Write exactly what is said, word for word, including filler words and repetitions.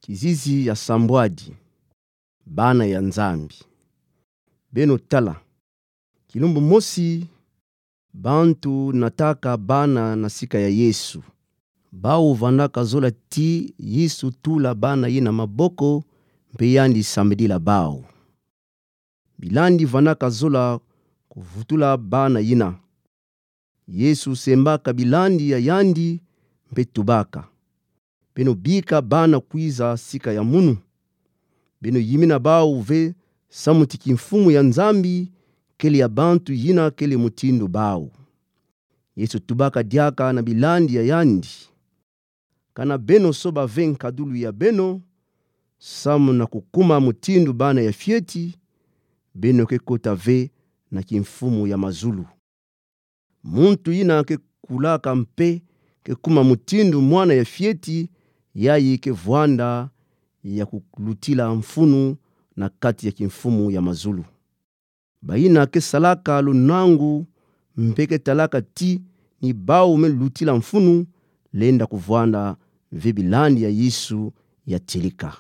Kizizi ya sambwadi. Bana ya Nzambi. Beno tala. Kilumbu mosi, bantu nataka bana na sika ya Yesu. Bawu vandaka zola ti Yesu tula bana yina maboko, mpe yandi sambidila bawu. Bilandi vandaka zola kuvutula bana yina. Yesu sembaka bilandi ya yandi mpe tubaka: Beno bika bana kwiza sika ya munu. Beno yimina bawu ve samu ti kimfumu ya Nzambi kele ya bantu yina kele mutindu bawu. Yesu tubaka diaka na bilandi ya yandi: Kana beno soba ve nkadulu ya beno, samu na kukuma mutindu bana ya fieti, beno ke kota ve na kimfumu ya mazulu. Muntu yina ke kulaka mpe ke kuma mutindu mwana ya fieti, yayi ke vwanda ya kulutila mfunu na kati ya kimfumu ya mazulu. Bayina ke salaka lunangu mpe ke talaka ti ni bawu me lutila mfunu, lenda kuvwanda ve bilandi ya Yesu ya tilika.